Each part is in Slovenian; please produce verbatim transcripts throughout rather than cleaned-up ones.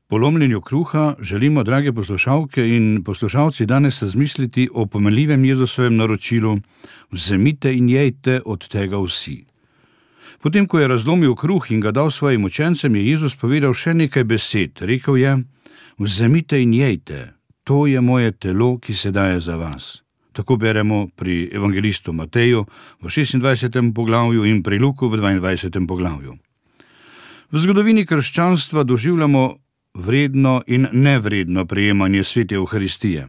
Po lomljenju kruha želimo, drage poslušalke in poslušalci, danes razmisliti o pomenljivem Jezusovem naročilu: vzemite in jejte od tega vsi. Potem, ko je razlomil kruh in ga dal svojim učencem, je Jezus povedal še nekaj besed. Rekel je: vzemite in jejte, to je moje telo, ki se daje za vas. Tako beremo pri evangelistu Mateju v šestindvajsetem poglavju in pri Luku v dvaindvajsetem poglavju. V zgodovini krščanstva doživljamo vredno in nevredno prejemanje svete Evharistije.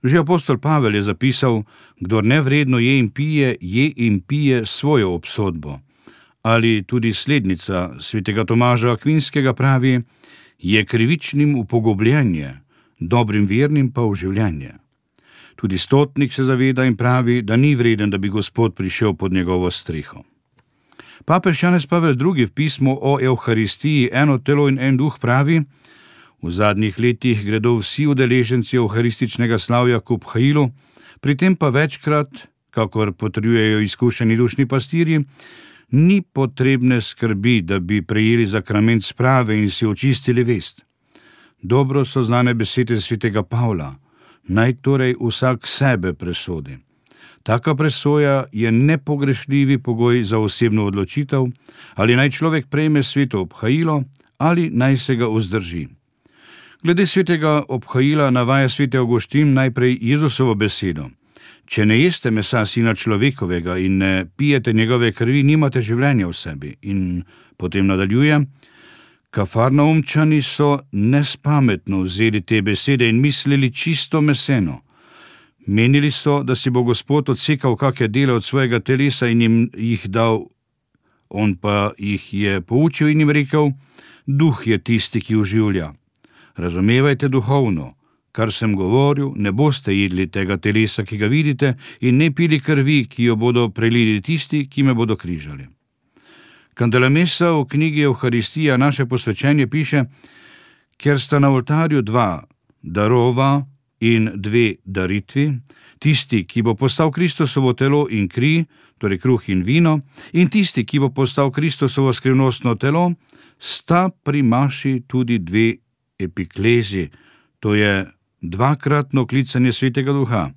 Že apostol Pavel je zapisal: kdor nevredno je in pije, je in pije svojo obsodbo. Ali tudi slednica svetega Tomaža Akvinskega pravi: je krivičnim upogobljenje, dobrim vernim pa oživljenje. Tudi stotnik se zaveda in pravi, da ni vreden, da bi Gospod prišel pod njegovo streho. Papež Janez Pavel drugi v pismu o Evharistiji Eno telo in en duh pravi: v zadnjih letih gredo vsi udeleženci evharističnega slavja k obhajilu, pri tem pa večkrat, kakor potrjujejo izkušeni dušni pastirji, ni potrebne skrbi, da bi prejeli zakrament sprave in si očistili vest. Dobro so znane besede svetega Pavla: naj torej vsak sebe presodi. Taka presoja je nepogrešljivi pogoj za osebno odločitev, ali naj človek prejme sveto obhajilo ali naj se ga vzdrži. Glede svetega obhajila navaja sveti Avguštin najprej Jezusovo besedo: če ne jeste mesa sina človekovega in ne pijete njegove krvi, nimate življenja v sebi. In potem nadaljuje: Kafarnaumčani so nespametno vzeli te besede in mislili čisto meseno. Menili so, da si bo Gospod odsekal kakšne dele od svojega telesa in jim jih dal. On pa jih je poučil in jim rekel: duh je tisti, ki oživlja. Razumevajte duhovno. Kar sem govoril, ne boste jedli tega telesa, ki ga vidite, in ne pili krvi, ki jo bodo prelili tisti, ki me bodo križali. Candelamessa v knjigi Evharistija naše posvečenje piše: ker sta na oltarju dva darova in dve daritvi, tisti, ki bo postal Kristusovo telo in kri, torej kruh in vino, in tisti, ki bo postal Kristusovo skrivnostno telo, sta pri maši tudi dve epiklezi, to je dvakratno klicanje svetega duha.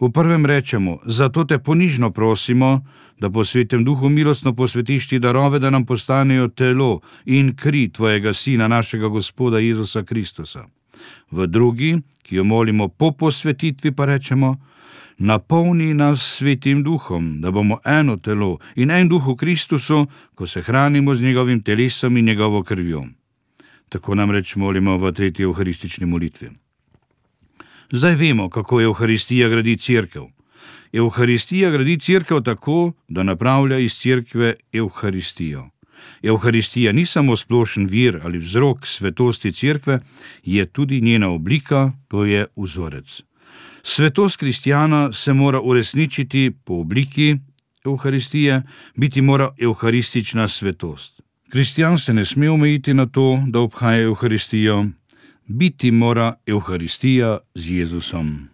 V prvem rečemo: zato te ponižno prosimo, da po svetem duhu milostno posvetiš ti darove, da nam postanejo telo in kri tvojega sina, našega Gospoda Jezusa Kristusa. V drugi, ki jo molimo po posvetitvi, pa rečemo: napolni nas svetim duhom, da bomo eno telo in en duh v Kristusu, ko se hranimo z njegovim telesom in njegovo krvjo. Tako namreč molimo v tretji evharistični molitvi. Zdaj vemo, kako Evharistija gradi cerkev. Evharistija gradi cerkev tako, da napravlja iz cerkve Evharistijo. Evharistija ni samo splošen vir ali vzrok svetosti cerkve, je tudi njena oblika, to je vzorec. Svetost kristjana se mora uresničiti po obliki Evharistije, biti mora evharistična svetost. Kristjan se ne sme omejiti na to, da obhaja Evharistijo, biti mora Evharistija z Jezusom.